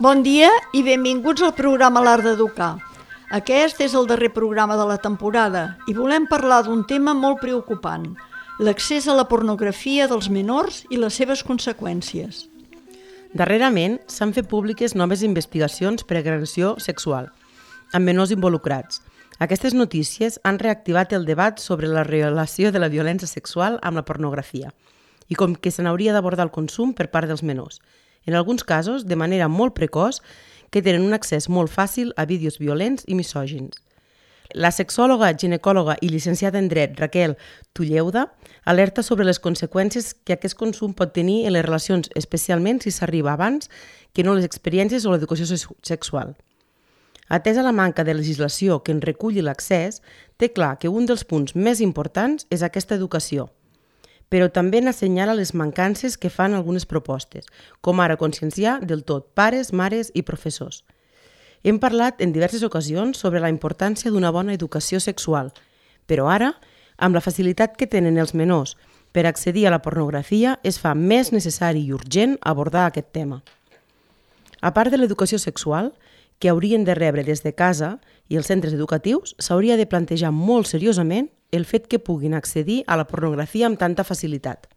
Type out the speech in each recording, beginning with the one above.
Bon dia i benvinguts al programa L'Art d'Educar. Aquest és el darrer programa de la temporada i volem parlar d'un tema molt preocupant, l'accés a la pornografia dels menors i les seves conseqüències. Darrerament s'han fet públiques noves investigacions per agressió sexual, amb menors involucrats. Aquestes notícies han reactivat el debat sobre la relació de la violència sexual amb la pornografia i com que se n'hauria d'abordar el consum per part dels menors, en alguns casos de manera molt precoç, que tenen un accés molt fàcil a vídeos violents i misògins. La sexòloga, ginecòloga i llicenciada en dret Raquel Tulleuda alerta sobre les conseqüències que aquest consum pot tenir en les relacions, especialment si s'arriba abans que no les experiències o l'educació sexual. Atesa la manca de legislació que en reculli l'accés, té clar que un dels punts més importants és aquesta educació, però també n'assenyala les mancances que fan algunes propostes, com ara conscienciar del tot pares, mares i professors. Hem parlat en diverses ocasions sobre la importància d'una bona educació sexual, però ara, amb la facilitat que tenen els menors per accedir a la pornografia, es fa més necessari i urgent abordar aquest tema. A part de l'educació sexual, que haurien de rebre des de casa i els centres educatius, s'hauria de plantejar molt seriosament el fet que puguin accedir a la pornografia amb tanta facilitat.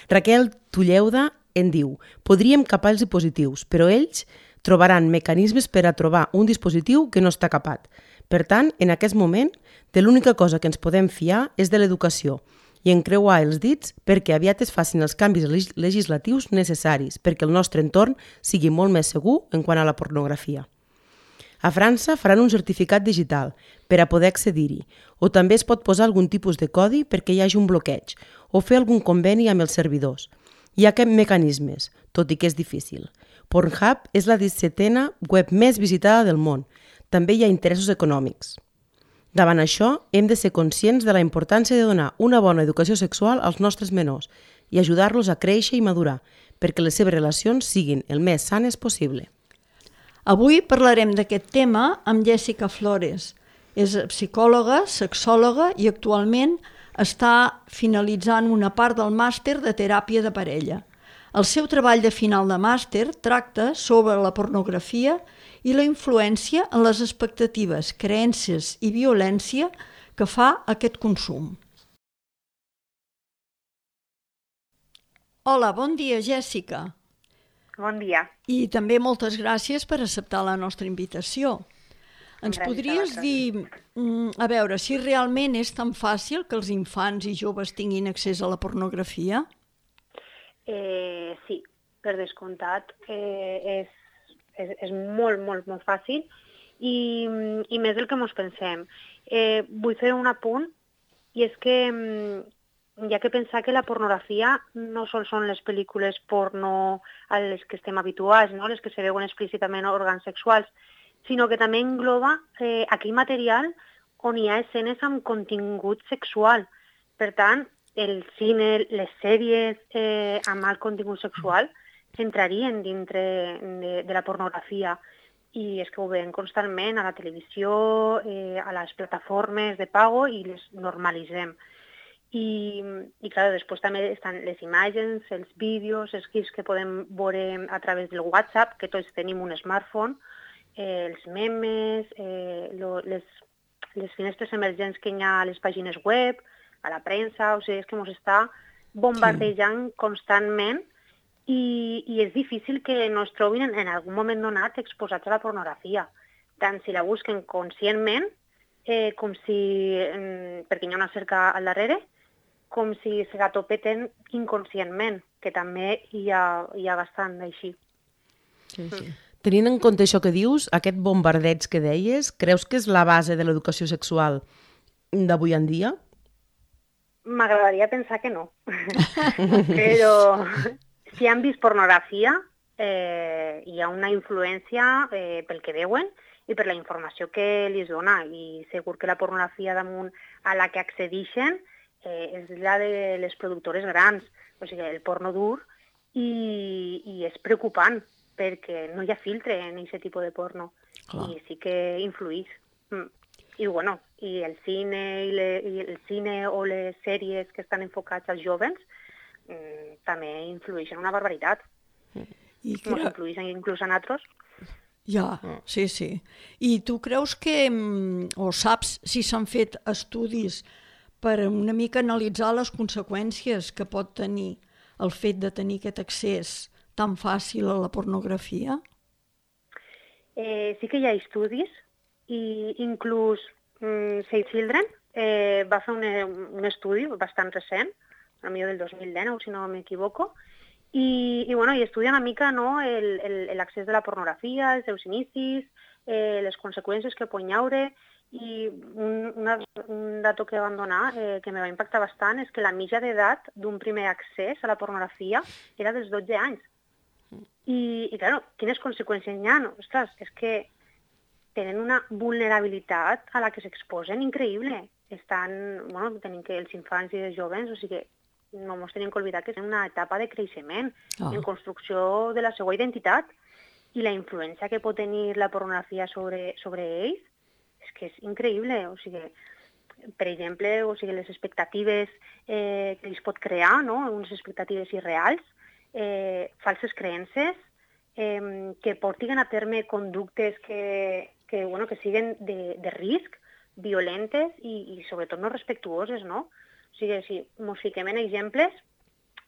Raquel Tulleuda en diu: podríem capar-los dispositius, però ells trobaran mecanismes per a trobar un dispositiu que no està capat. Per tant, en aquest moment, de l'única cosa que ens podem fiar és de l'educació i encreuar els dits perquè aviat es facin els canvis legislatius necessaris perquè el nostre entorn sigui molt més segur en quant a la pornografia. A França faran un certificat digital per a poder accedir-hi, o també es pot posar algun tipus de codi perquè hi hagi un bloqueig, o fer algun conveni amb els servidors. Hi ha aquests mecanismes, tot i que és difícil. Pornhub és la 17a web més visitada del món. També hi ha interessos econòmics. Davant això, hem de ser conscients de la importància de donar una bona educació sexual als nostres menors i ajudar-los a créixer i madurar, perquè les seves relacions siguin el més sanes possible. Avui parlarem d'aquest tema amb Jessica Flores. És psicòloga, sexòloga i actualment està finalitzant una part del màster de teràpia de parella. El seu treball de final de màster tracta sobre la pornografia i la influència en les expectatives, creences i violència que fa aquest consum. Hola, bon dia, Jessica. Bon dia. I també moltes gràcies per acceptar la nostra invitació. Ens podries dir, a veure, si realment és tan fàcil que els infants i joves tinguin accés a la pornografia? Sí, per descomptat. És molt, molt, molt fàcil i més del que ens pensem. Vull fer un apunt i és que hi ha que pensar que la pornografia no sols són les pel·lícules porno a les que estem habituats, no? Les que se veuen explícitament òrgans sexuals, sinó que també engloba aquell material on hi ha escenes amb contingut sexual. Per tant, el cine, les sèries amb alt contingut sexual entrarien dintre de la pornografia. I és que ho veiem constantment a la televisió, a les plataformes de pago i les normalitzem. I clar, després també estan les imatges, els vídeos, els GIFs que podem veure a través del WhatsApp, que tots tenim un smartphone, els memes, les finestres emergents que hi ha a les pàgines web, a la premsa, o sigui, és que ens està bombardejant constantment i és difícil que no es trobin en algun moment donat exposats a la pornografia, tant si la busquen conscientment, com si, perquè hi ha una cerca al darrere, com si se la topeten inconscientment, que també hi ha bastant d'així. Sí. Tenint en compte això que dius, aquest bombardeig que deies, creus que és la base de l'educació sexual d'avui en dia? M'agradaria pensar que no. Però si han vist pornografia, hi ha una influència pel que veuen i per la informació que li dona. I segur que la pornografia damunt a la que accedeixen és la de les productores grans, o sigui, el porno dur, i és preocupant, perquè no hi ha filtre en aquest tipus de porno. Clar. I sí que influïx. I el cine o les sèries que estan enfocats als jovens, també influeixen una barbaritat. I Ens influeixen inclús a nosaltres. Ja, sí. I tu creus que, o saps si s'han fet estudis per una mica analitzar les conseqüències que pot tenir el fet de tenir aquest accés tan fàcil a la pornografia? Sí que hi ha estudis i inclús Save Children va fer un estudi bastant recent, potser del 2019, si no m'equivoco, i estudia una mica, no, l'accés de la pornografia, els seus inicis, les conseqüències que pot haure, i un dato que van donar que me va impactar bastant és que la mitja d'edat d'un primer accés a la pornografia era dels 12 anys. I clar, quines conseqüències hi ha? Ostres, és que tenen una vulnerabilitat a la que s'exposen increïble. Tenim que els infants i els joves, o sigui, no ens tenim que oblidar que és una etapa de creixement, en construcció de la seva identitat, i la influència que pot tenir la pornografia sobre ells és que és increïble. O sigui, per exemple, les expectatives que ells pot crear, no? Unes expectatives irreals, falses creences, que portin a terme conductes que siguin de risc, violentes i sobretot no respectuoses, no? O sigui, si ens fiquem en exemples,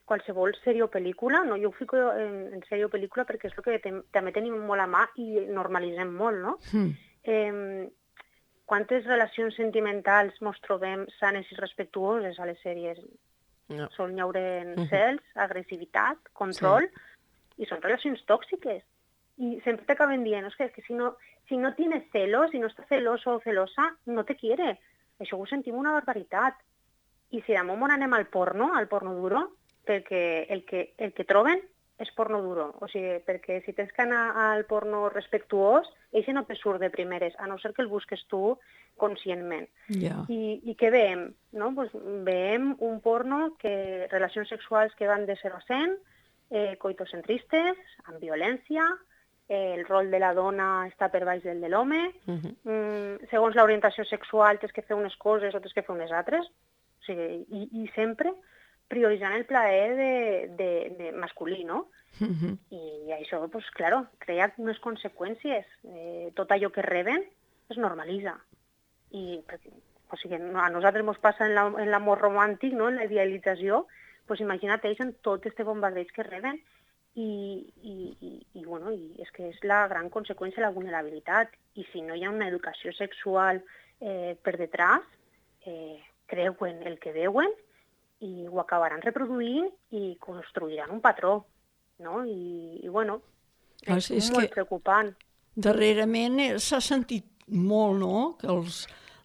qualsevol sèrie o pel·lícula, no? Jo ho fico en sèrie o pel·lícula perquè és el que també tenim molt a mà i normalitzem molt, no? Quantes relacions sentimentals ens trobem sanes i respectuoses a les sèries? No. Sol hi haure cels, agressivitat, control, i són relacions tòxiques. I sempre t'acaben dient, és que si no tienes celos, si no estàs celoso o celosa, no te quiere. Això ho sentim una barbaritat. I si damunt anem al porno duro, perquè el que troben és porno duro. O sigui, perquè si tens que anar al porno respectuós, això no te surt de primeres, a no ser que el busques tu conscientment. Yeah. I què veiem? No? Pues veiem un porno que relacions sexuals que van de 0 a 100, coitocentristes, amb violència, el rol de la dona està per baix del de l'home, segons l'orientació sexual tens que fer unes coses o tens que fer unes altres, o sigui, i sempre prioritzant el plaer de masculí, no? I això, pues, claro, crea unes conseqüències. Tot allò que reben es normalitza. O sigui, a nosaltres ens passa en l'amor romàntic, no? En la idealització, pues imagina't ells en tot este bombardeig que reben i és que és la gran conseqüència, la vulnerabilitat. I si no hi ha una educació sexual per detrás, creuen el que veuen i ho acabaran reproduint i construiran un patró, no? És molt preocupant. Darrerament s'ha sentit molt, no?, que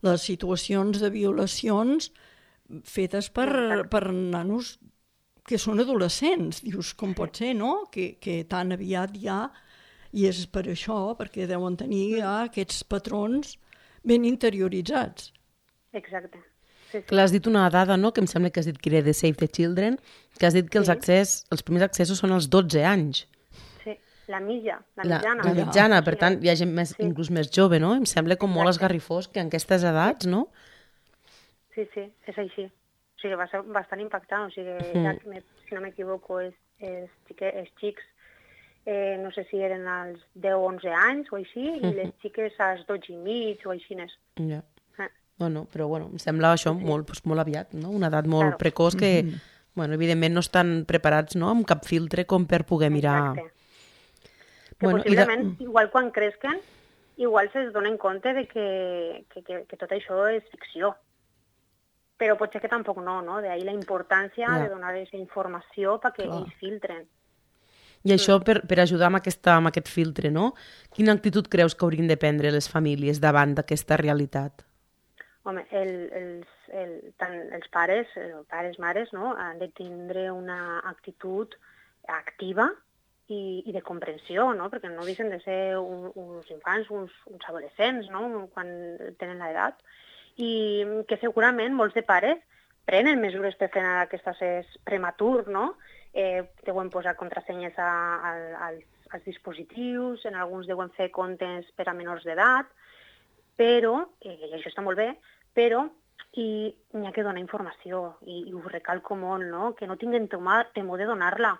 les situacions de violacions fetes per nanos que són adolescents. Dius, com pot ser, no?, que tan aviat ja, i és per això, perquè deuen tenir ja aquests patrons ben interioritzats. Exacte. Sí. Clar, has dit una dada, no?, que em sembla que has dit que era de Save the Children, que has dit que els primers accessos són als 12 anys. Sí, la mitjana. La mitjana, per tant, hi ha gent inclús més jove, no? Em sembla com molt esgarrifós que en aquestes edats, no? Sí, és així. O sigui, va ser bastant impactant. O sigui, si no m'equivoco, els xics, no sé si eren als 10 o 11 anys o així, i les xiques als 12 i mig o així. Ja. No, però em sembla això molt aviat, no? Una edat molt precoç que, evidentment no estan preparats, no?, amb cap filtre com per poder mirar. Exacte. Que possiblement, igual quan cresquen, igual se'ls donen compte de que tot això és ficció. Però potser que tampoc no? D'ahir la importància de donar aquesta informació perquè ells filtren. I això per ajudar amb aquest filtre, no? Quina actitud creus que haurien de prendre les famílies davant d'aquesta realitat? Home, tant els pares, mares, no?, han de tindre una actitud activa i de comprensió, no?, perquè no deixen de ser uns infants, uns adolescents, no?, quan tenen l'edat, i que segurament molts de pares prenen mesures per frenar aquest accés prematur, no?, deuen posar contrasenyes als dispositius, en alguns deuen fer comptes per a menors d'edat, però, i això està molt bé, però i n'hi ha que donar informació, i ho recalco molt, no? Que no tinguin temor de donar-la.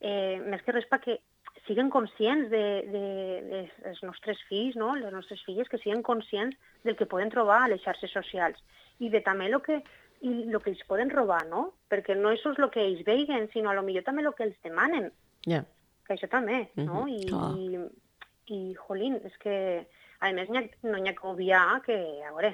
Més que res perquè siguen conscients dels nostres fills, no? Les nostres filles, que siguen conscients del que poden trobar a les xarxes socials i de també el que ells poden robar, no? Perquè no és el que ells veien, sinó a lo millor també el que els demanen. Ja. Que això també, no? I jolín, és que, a més, no n'hi ha que obviar que, a veure,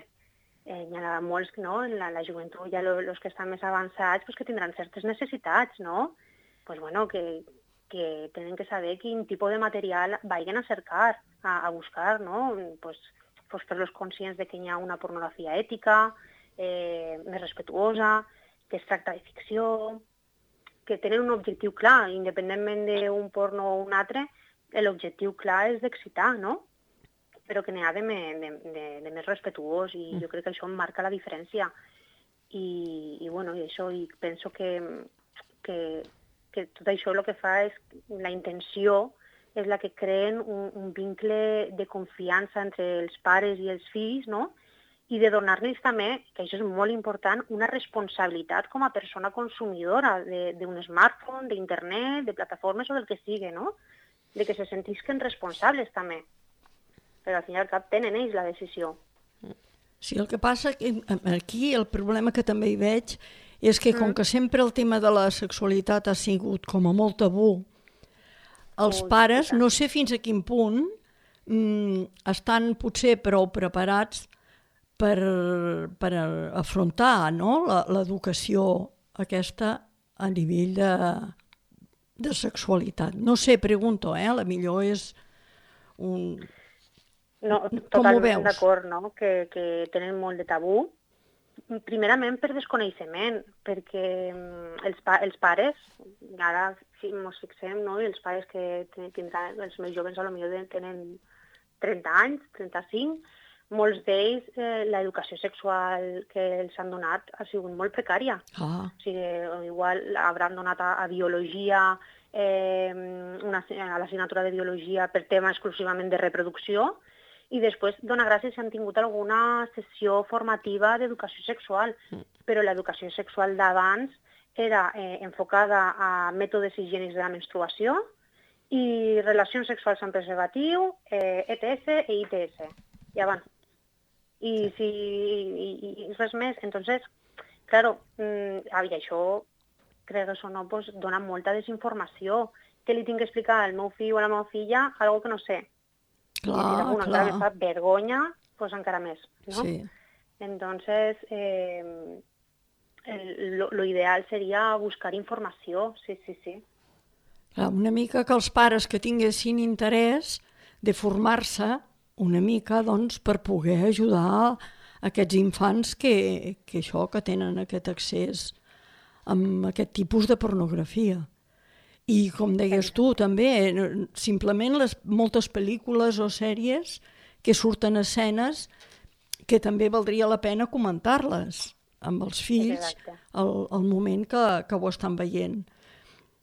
hi ha molts, no?, en la joventut, ja els que estan més avançats, pues, que tindran certes necessitats, no? Pues, bueno, que tenen que saber quin tipus de material vagin a cercar, a buscar, no? Pues fer-los conscients de que hi ha una pornografia ètica, més respetuosa, que es tracta de ficció, que tenen un objectiu clar, independentment d'un porno o un altre, l'objectiu clar és d'excitar, no? Però que n'hi ha de més respetuós, i jo crec que això marca la diferència. I bueno, i això, i penso que tot això el que fa és, la intenció és la que creen un vincle de confiança entre els pares i els fills, no? I de donar-los també, que això és molt important, una responsabilitat com a persona consumidora d'un smartphone, d'internet, de plataformes o del que sigui, no? De que se sentisquen responsables també. Però al fin i al cap tenen ells la decisió. Sí, el que passa que aquí el problema que també hi veig és que com que sempre el tema de la sexualitat ha sigut com a molt tabú, els pares, no sé fins a quin punt, estan potser prou preparats per afrontar, no?, l'educació aquesta a nivell de sexualitat. No sé, pregunto, la millor és un... No, totalment d'acord, no?, que tenen molt de tabú. Primerament per desconeixement, perquè els pares, ara si ens fixem, no?, i els pares que tindran, els més joves potser tenen 30 anys, 35, molts d'ells l'educació sexual que els han donat ha sigut molt precària. O sigui, igual hauran donat a biologia, a l'assignatura de biologia per tema exclusivament de reproducció, i després, dona gràcies si han tingut alguna sessió formativa d'educació sexual, però l'educació sexual d'abans era enfocada a mètodes higiènics de la menstruació i relacions sexuals amb preservatiu, ETS i ITS, i abans. I res més. Entonces, claro, i això, crec que això no, pues, dona molta desinformació. Què li tinc que explicar al meu fill o a la meva filla algo que no sé? Clar. Encara me fa vergonya, pues encara més, no? Sí. Entonces, lo ideal seria buscar informació, sí. Clar, una mica que els pares que tinguessin interès de formar-se una mica, doncs, per poder ajudar aquests infants que tenen aquest accés amb aquest tipus de pornografia. I, com deies tu, també, simplement moltes pel·lícules o sèries que surten escenes que també valdria la pena comentar-les amb els fills al moment que ho estan veient.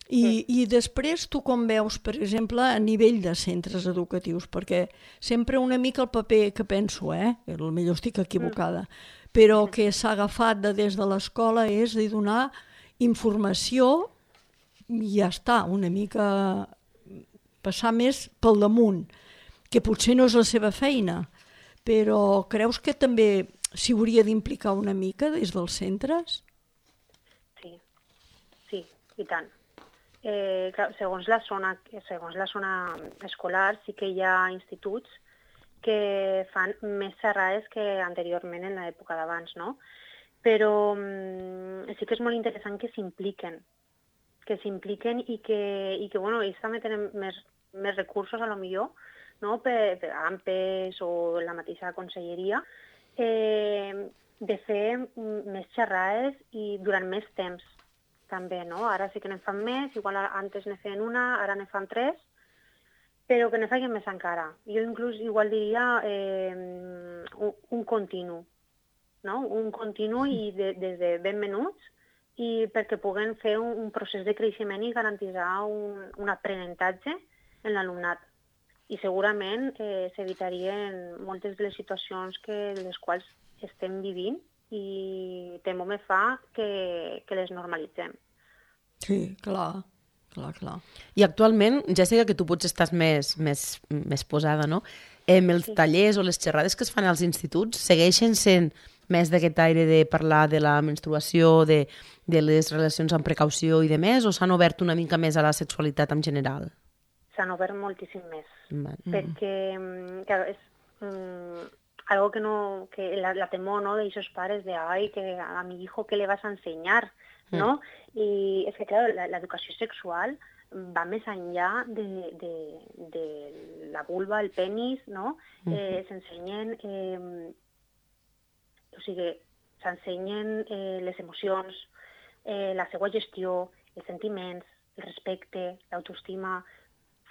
I després tu com veus, per exemple, a nivell de centres educatius, perquè sempre una mica el paper que penso, potser estic equivocada, però que s'ha agafat des de l'escola és de donar informació i ja està, una mica passar més pel damunt, que potser no és la seva feina, però creus que també s'hi hauria d'implicar una mica des dels centres? Sí, i tant. Clar, segons la zona escolar sí que hi ha instituts que fan més xerrades que anteriorment en l'època d'abans, no? Però sí que és molt interessant que s'impliquen i que bueno, ells també tenen més recursos, a lo millor, no? Per AMPES o la mateixa conselleria, de fer més xerrades i durant més temps, també, no? Ara sí que ne fan més, igual antes ne feien una, ara ne fan 3, però que ne facin més encara. Jo inclús igual diria un continu, no? Un continu i des de ben menuts, i perquè puguen fer un procés de creixement i garantir un aprenentatge en l'alumnat. I segurament s'evitarien moltes de les situacions de les quals estem vivint i temo me fa que les normalitzem. Sí, clar. I actualment, Jessica, que tu potser estàs més posada, no? Els tallers o les xerrades que es fan als instituts segueixen sent més d'aquest aire de parlar de la menstruació, de les relacions amb precaució i de més, o s'han obert una mica més a la sexualitat en general? S'han obert moltíssim més, perquè clar, és algo que la temor, ¿no?, de esos padres de, ay, que a mi hijo, ¿qué le vas a enseñar? ¿No? Y es que, claro, la educació sexual va més enllà de la vulva, el penis, no? S'ensenyen les emocions, la seva gestió, els sentiments, el respecte, l'autoestima,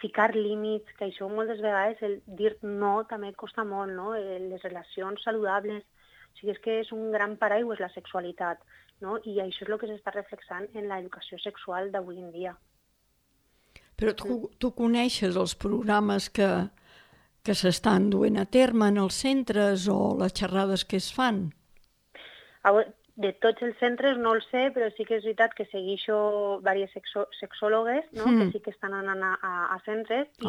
ficar límits, que això moltes vegades, el dir no també costa molt, no? Les relacions saludables, o sigui, és que és un gran paraigües la sexualitat, no? I això és el que s'està reflexant en l'educació sexual d'avui en dia. Però tu coneixes els programes que s'estan duent a terme en els centres o les xerrades que es fan? De tots els centres no el sé, però sí que és veritat que segueixo diverses sexòlogues, no? Que sí que estan anant a centres i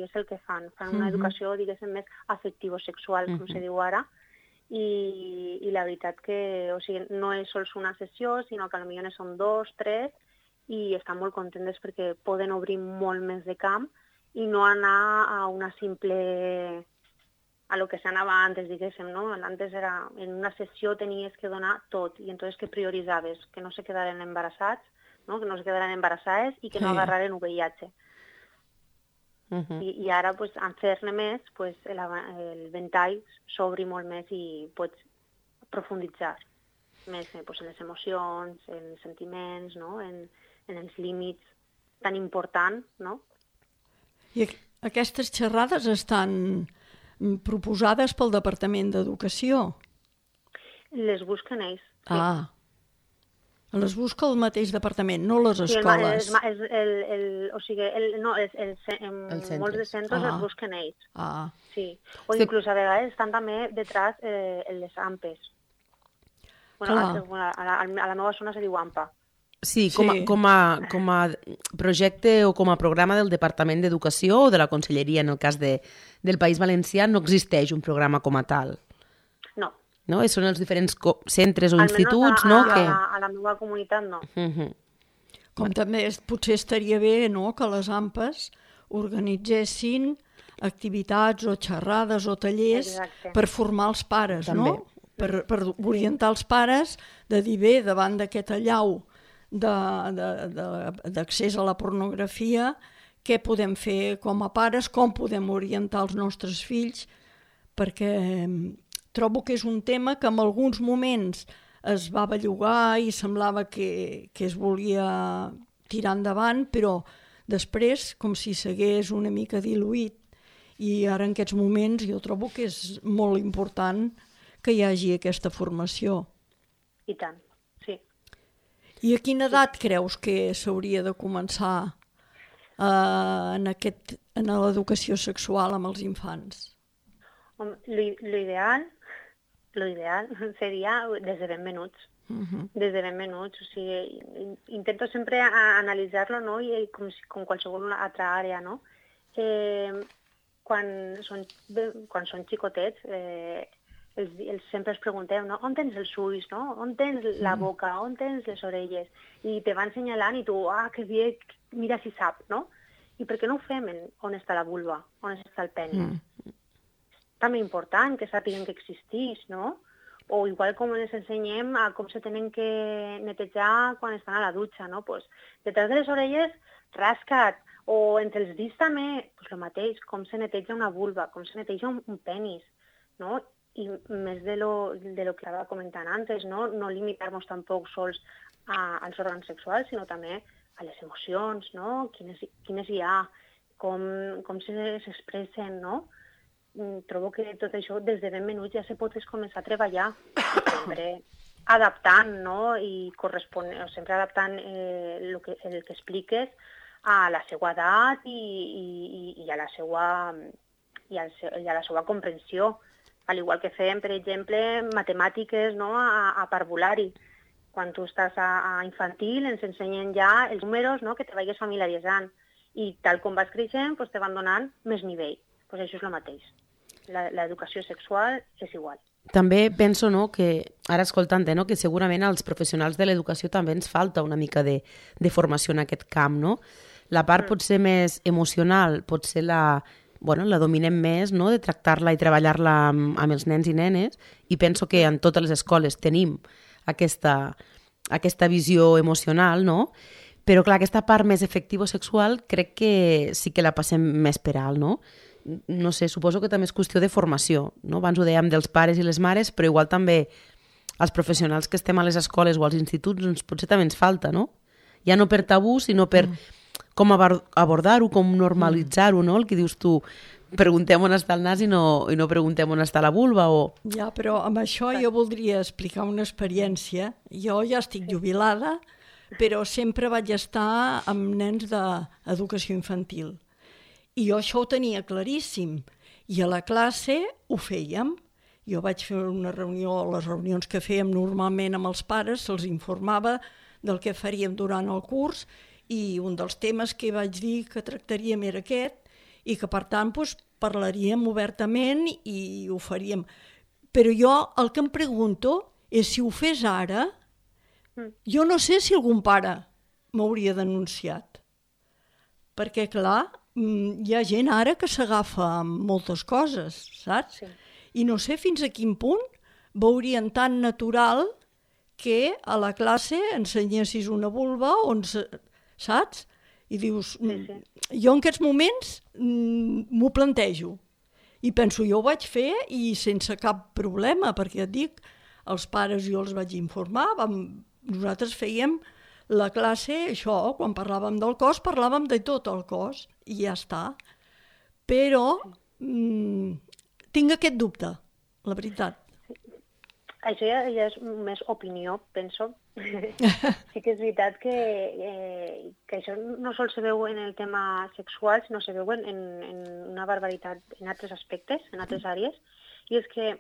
és el que fan. Fan una educació, diguéssim, més afectivo-sexual, com se diu ara, i la veritat que no és sols una sessió, sinó que potser ne són 2, 3, i estan molt contentes perquè poden obrir molt més de camp i no anar a una simple... a lo que s'anava antes, diguéssim, no? Antes era, en una sessió tenies que donar tot, i entonces que prioritzaves? Que no se quedaren embarassats, no? Que no se quedaran embarassades i que no agarraren VIH. I ara, pues, en fer-ne més, pues, el ventall s'obri molt més i pots profunditzar més pues, en les emocions, en els sentiments, no? En els límits tan importants, no? I aquestes xerrades estan proposades pel Departament d'Educació? Les busquen ells. Sí. Les busca el mateix departament, no les escoles. En molts de centres els busquen ells. Sí. O inclús a vegades estan també detrás les AMPes. A la meva zona se diu AMPA. Sí, com a projecte o com a programa del Departament d'Educació o de la Conselleria, en el cas del País Valencià, no existeix un programa com a tal. No? Són els diferents centres o instituts, no? A la meva comunitat, no. Com també potser estaria bé, no?, que les AMPes organitzessin activitats o xerrades o tallers per formar els pares, no? Per orientar els pares de dir, bé, davant d'aquest allau d'accés a la pornografia, què podem fer com a pares, com podem orientar els nostres fills, perquè trobo que és un tema que en alguns moments es va bellugar i semblava que es volia tirar endavant, però després com si s'hagués una mica diluït, i ara en aquests moments jo trobo que és molt important que hi hagi aquesta formació. I tant. I a quina edat creus que s'hauria de començar en l'educació sexual amb els infants? L'ideal seria des de ben menuts. Des de ben menuts. O sigui, intento sempre analitzar-lo, no? I com qualsevol altra àrea, no? Quan són xicotets, sempre els preguntem, no? On tens els ulls, no? On tens la boca, on tens les orelles? I te van assenyalant i tu, que bé, mira si sap, no? I per què no ho fem on està la vulva, on està el penis? És també important que sàpiguen que existeix, no? O igual com ens ensenyem a com se tenen que netejar quan estan a la dutxa, no? Pues, detrás de les orelles, rasca't, o entre els dits també, pues el mateix, com se neteja una vulva, com se neteja un penis, no? I més de lo que estava comentant antes, no limitar-nos tampoc sols als òrgans sexuals, sinó també a les emocions, no? Quines hi ha, com s'expressen, no? Trobo que tot això des de ben menuts ja se pot començar a treballar, sempre adaptant, no? I sempre adaptant el que expliques a la seva edat i a la seva comprensió. Al igual que fem, per exemple, matemàtiques, no?, a parvulari. Quan tu estàs a infantil ens ensenyen ja els números, no?, que te vagis familiaritzant. I tal com vas creixent, pues, te van donant més nivell. Pues això és el mateix. L'educació sexual és igual. També penso, no, que ara escoltant-te, no, que segurament als professionals de l'educació també ens falta una mica de formació en aquest camp, no? La part potser més emocional, potser la dominem més, no?, de tractar-la i treballar-la amb els nens i nenes, i penso que en totes les escoles tenim aquesta visió emocional, no? Però clar, aquesta part més efectivo-sexual crec que sí que la passem més per alt, no? No sé, suposo que també és qüestió de formació, no? Abans ho dèiem dels pares i les mares, però igual també els professionals que estem a les escoles o als instituts, doncs potser també ens falta, no? Ja no per tabú, sinó per com abordar-ho, com normalitzar-ho, no? El que dius tu, preguntem on està el nas i no preguntem on està la vulva, o... Ja, però amb això jo voldria explicar una experiència. Jo ja estic jubilada, però sempre vaig estar amb nens d'educació infantil. I jo això ho tenia claríssim. I a la classe ho fèiem. Jo vaig fer una reunió, les reunions que fèiem normalment amb els pares, se'ls informava del que faríem durant el curs, i un dels temes que vaig dir que tractaríem era aquest, i que per tant doncs, parlaríem obertament i ho faríem. Però jo el que em pregunto és si ho fes ara, jo no sé si algun pare m'hauria denunciat. Perquè clar, hi ha gent ara que s'agafa amb moltes coses, saps? Sí. I no sé fins a quin punt veurien tan natural que a la classe ensenyessis una vulva, saps? I dius, jo en aquests moments m'ho plantejo. I penso, jo ho vaig fer i sense cap problema, perquè et dic, els pares jo els vaig informar, nosaltres fèiem la classe, això, quan parlàvem del cos, parlàvem de tot el cos, i ja està. Però tinc aquest dubte, la veritat. Això ja és més opinió, penso. Sí que és veritat que això no sols se veu en el tema sexual, sinó se veu en una barbaritat en altres aspectes, en altres àrees, i és que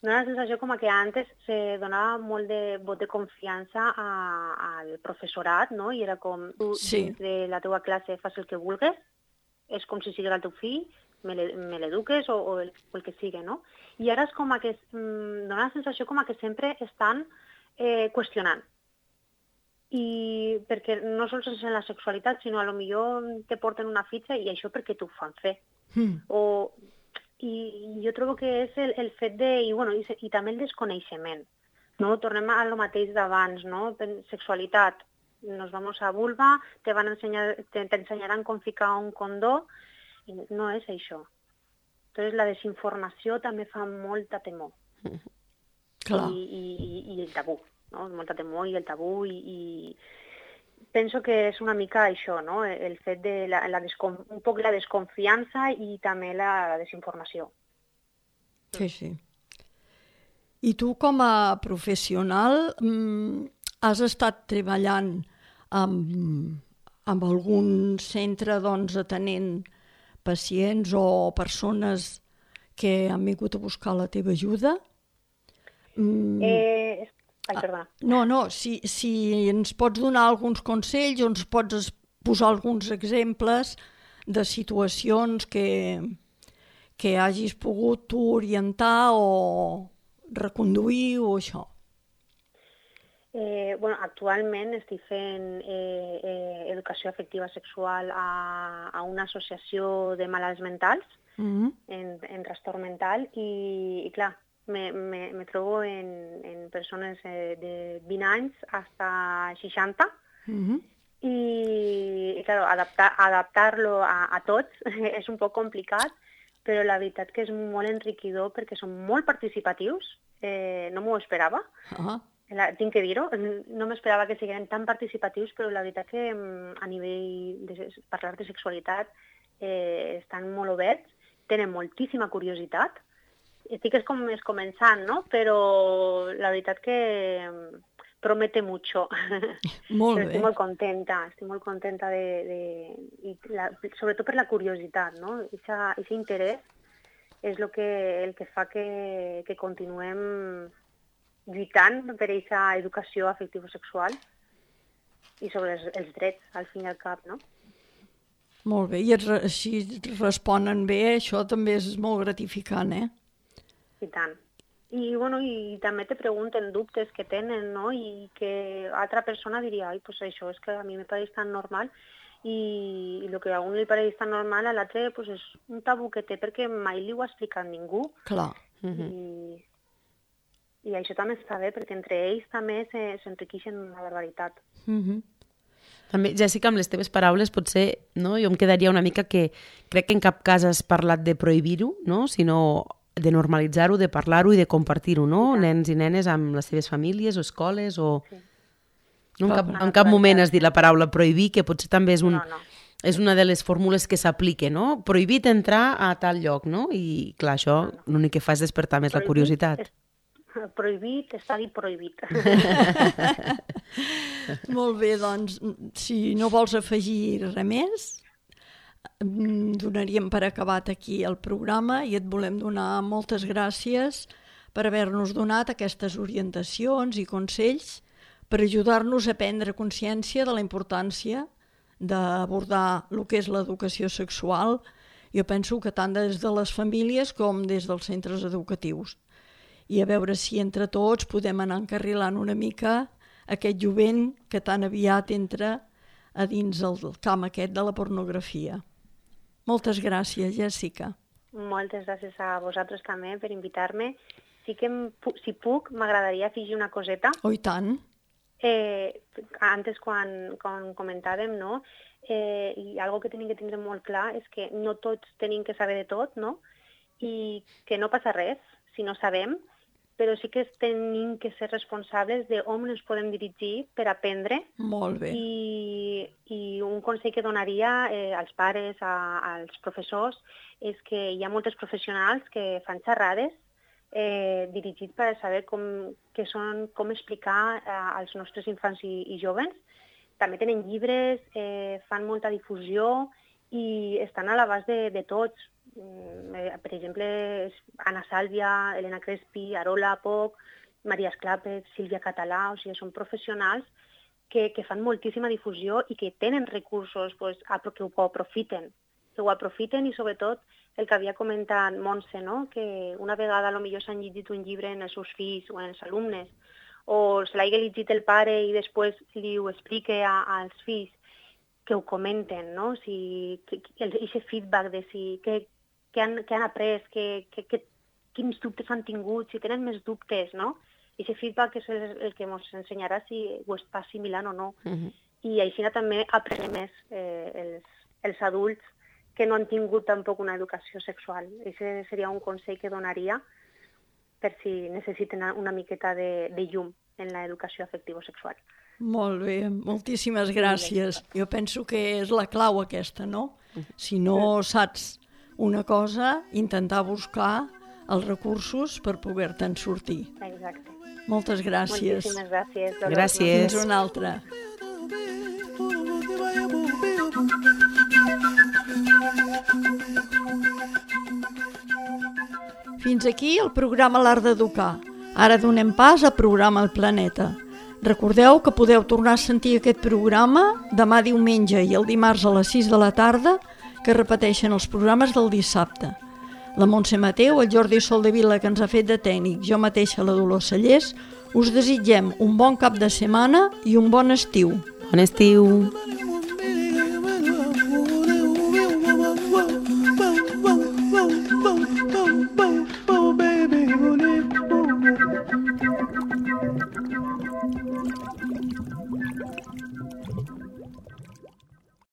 dona la sensació com que antes se donava molt de vot de confiança al professorat, no? I era com, tu dins de la teva classe fas el que vulgues, és com si sigués el teu fill, me l'eduques o el que sigui, no? I ara és com que dona la sensació com que sempre estan qüestionant. I perquè no sols és en la sexualitat, sinó a lo millor te porten una fitxa i això perquè t'ho fan fer. I jo trobo que és el fet de... I també el desconeixement. No? Tornem a lo mateix d'abans, no? Sexualitat. Nos vamos a vulva, t'ensenyaran com ficar un condó, i no és això. Entonces la desinformació també fa molta temor. Clar. I el tabú, no? Molta temor i el tabú, i penso que és una mica això, no? El fet de un poc la desconfiança i també la desinformació. Sí, sí. I tu com a professional has estat treballant amb algun centre atenent pacients o persones que han vingut a buscar la teva ajuda? Perdona. No, si ens pots donar alguns consells o ens pots posar alguns exemples de situacions que hagis pogut tu orientar o reconduir o això. Actualment estic fent educació afectiva sexual a una associació de malalts mentals en trastorn mental i clar, me trobo en persones de 20 anys fins 60 i claro, adaptar-lo a tots és un poc complicat, però la veritat que és molt enriquidor perquè són molt participatius, no m'ho esperava. Tinc que dir-ho, no m'esperava que siguin tan participatius, però la veritat que a nivell de parlar de sexualitat estan molt oberts, tenen moltíssima curiositat. Estic començant, no? Però la veritat que promete mucho. Molt bé. Estic molt contenta sobretot per la curiositat, no? Ese interès és el que fa que continuem lluitant per aquesta educació afectivo-sexual i sobre els drets, al fin i al cap, no? Molt bé, i així responen bé, això també és molt gratificant, I tant. I també te pregunten dubtes que tenen, no? I que altra persona diria, ai, pues això és que a mi me pareix tan normal, i el que a un li pareix tan normal, a l'altre pues, és un tabú que té perquè mai li ho ha explicat ningú. Clar. I això també està bé, perquè entre ells també s'enriqueixen una barbaritat. També, Jèssica, amb les teves paraules, potser no? Jo em quedaria una mica que crec que en cap cas has parlat de prohibir-ho, no? Sinó de normalitzar-ho, de parlar-ho i de compartir-ho, no? Nens i nenes amb les seves famílies o escoles o... Sí. No, en cap moment has dit la paraula prohibir, que potser també és és una de les fórmules que s'aplica, no? Prohibit entrar a tal lloc, no? I clar, això l'únic que fa és despertar més la curiositat. Prohibit, està dit prohibit. Molt bé, doncs, si no vols afegir res més, donaríem per acabat aquí el programa i et volem donar moltes gràcies per haver-nos donat aquestes orientacions i consells per ajudar-nos a prendre consciència de la importància d'abordar el que és l'educació sexual. Jo penso que tant des de les famílies com des dels centres educatius. I a veure si entre tots podem anar encarrilant una mica aquest jovent que tan aviat entra a dins el camp aquest de la pornografia. Moltes gràcies, Jèssica. Moltes gràcies a vosaltres també per invitar-me. Sí que, si puc, m'agradaria afegir una coseta. Oh, i tant. Antes, quan comentàvem, no? I algo que tenim que tindre molt clar és que no tots tenim que saber de tot, no? I que no passa res si no sabem, però sí que tenim que ser responsables d'on ens podem dirigir per aprendre. Molt bé. I un consell que donaria als pares, als professors, és que hi ha moltes professionals que fan xerrades dirigits per saber com explicar als nostres infants i joves. També tenen llibres, fan molta difusió i estan a l'abast de tots. Per exemple, Anna Sàlvia, Elena Crespi, Arola Poc, Maria Esclàpez, Sílvia Català, o sigui, són professionals que fan moltíssima difusió i que tenen recursos que ho aprofiten i sobretot el que havia comentat Montse, no? Que una vegada potser s'han llegit un llibre en els seus fills o en els alumnes o se l'hagi llegit el pare i després li ho explique als fills, que ho comenten, no? Aquest feedback de què han après, quins dubtes han tingut, si tenen més dubtes, no? Aquest feedback és el que ens ensenyarà si ho està assimilant o no. I així també aprenem més els adults que no han tingut tampoc una educació sexual. Aquest seria un consell que donaria per si necessiten una miqueta de llum en l'educació afectivo-sexual. Molt bé, moltíssimes gràcies. Jo penso que és la clau aquesta, no? Si no saps una cosa, intentar buscar els recursos per poder-te'n sortir. Exacte. Moltes gràcies. Moltíssimes gràcies. Gràcies. Fins una altra. Fins aquí el programa L'Art d'Educar. Ara donem pas al programa El Planeta. Recordeu que podeu tornar a sentir aquest programa demà diumenge i el dimarts a les 6 de la tarda, que repeteixen els programes del dissabte. La Montse Mateu, el Jordi Soldevila, que ens ha fet de tècnic, jo mateixa, la Dolors Cellers, us desitgem un bon cap de setmana i un bon estiu. Bon estiu!